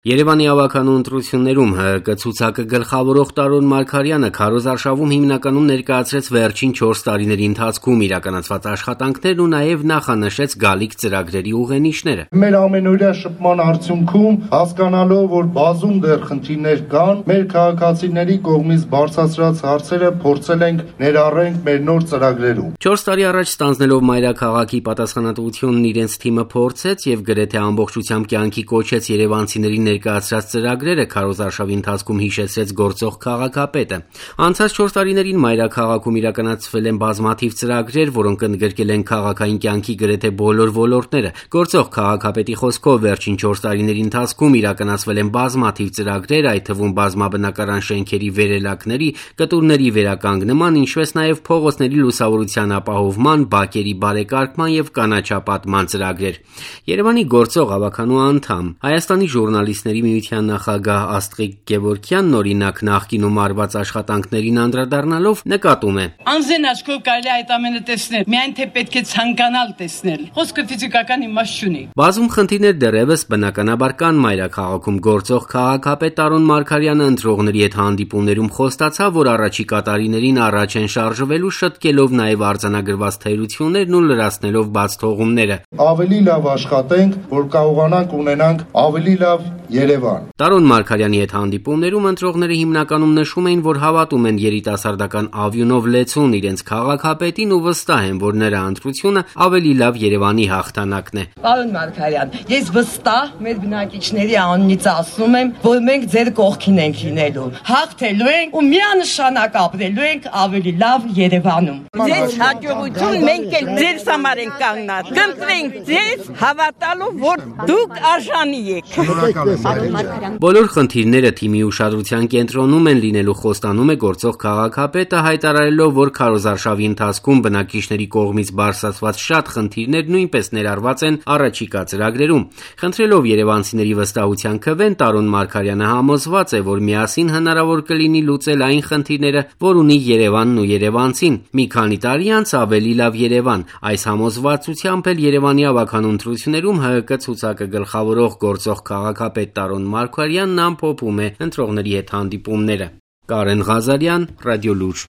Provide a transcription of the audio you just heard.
Երևանի ավականու ընտրություններում ՀՀԿ ցուցակը գլխավորող Տարոն Մարգարյանը քարոզարշավում հիմնականում ներկայացրեց վերջին 4 տարիների ընթացքում իրականացված աշխատանքներն ու նաև նախանշեց գալիք ծրագրերի ուղենիշները։ Մեր ամենօրյա շփման արդյունքում հասկանալով, որ բազում դեռ խնդիրներ կան, մեր քաղաքացիների կողմից բարձրացրած հարցերը փորձել ենք ներառենք մեր նոր ծրագրերում։ 4 տարի առաջ ստանձնելով մայրաքաղաքի պատասխանատվությունն իրենց թիմը փորձեց եւ գրեթե ամբողջությամբ կյանքի կոչեց երևանցիների ներկայացրած ծրագրերը քարոզարշավի ընթացքում հիշեցրեց գործող քաղաքապետը։ Անցած 4 տարիներին մայրաքաղաքում իրականացվել են բազմաթիվ ծրագրեր, որոնք ընդգրկել են քաղաքային կյանքի գրեթե բոլոր ոլորտները։ Գործող քաղաքապետի խոսքով վերջին 4 տարիների ընթացքում իրականացվել են բազմաթիվ ծրագրեր, այդ թվում բազմաբնակարան շենքերի վերելակների, կտուրների վերականգնման, ինչպես նաև փողոցների լուսավորության ապահովման, բակերի բարեկարգման եւ կանաչապատման ծրագրեր։ Երևանի գործող ավականու անդամ Հայաստանի ժուրնալիստների միության նախագահ Աստղիկ Գևորգյանն օրինակ նախկինում արված աշխատանքներին անդրադառնալով նկատում է. Անձեն աչքով կարելի այդ ամենը տեսնել, միայն թե պետք է ցանկանալ տեսնել։ Խոսքը ֆիզիկական իմաստ չունի։ Բազում խնդիրներ դեռևս բնականաբար կան մայրաքաղաքում գործող քաղաքապետ Տարոն Մարգարյանը ընտրողների հետ հանդիպումներում խոստացավ, որ առաջիկա տարիներին առաջ են շարժվելու շտկելով նաև արձանագրված թերություններն ու լրացնելով բաց թողումները։ Ավելի լավ աշխատենք, որ կարողանանք ունենանք ավելի լավ Երևան։ Տարոն Մարգարյանի հետ հանդիպումներում ընտրողները հիմնականում նշում էին, որ հավատում են երիտասարդական ավյունով լեցուն իրենց քաղաքապետին ու վստահ են, որ նրա ընտրությունը ավելի լավ Երևանի հաղթանակն է։ Պարոն Մարգարյան, ես վստահ մեր բնակիչների անունից ասում եմ, որ մենք ձեր կողքին ենք լինելու։ Հաղթելու ենք ու միանշանակ ապրելու ենք ավելի լավ Երևանում։ Ձեզ հաջողություն մենք էլ ձեզ համար ենք կանգնած։ Կընտրենք ձեզ հավատալով, որ դուք արժանի եք։ Բոլոր խնդիրները թիմի ուշադրության կենտրոնում են լինելու խոստանում է գործող քաղաքապետը, հայտարարելով, որ քարոզարշավի ընթացքում բնակիչների կողմից բարձրացված շատ խնդիրներ նույնպես ներառված են առաջիկա ծրագրերում։ Խնդրելով երևանցիների վստահության քվեն, Տարոն Մարգարյանը համոզված է, որ միասին հնարավոր կլինի լուծել այն խնդիրները, որ ունի Երևանն ու երևանցին։ Մի քանի տարի անց ավելի լավ Երևան։ Այս համոզվածությամբ էլ Երևանի ավականու ընտրություններում ՀՀԿ ցուցակը գլխավորող գործող քաղաքապետ Տարոն Մարգարյանն ամփոփում է ընտրողների հետ հանդիպումները։ Կարեն Ղազարյան, Ռադիոլուր։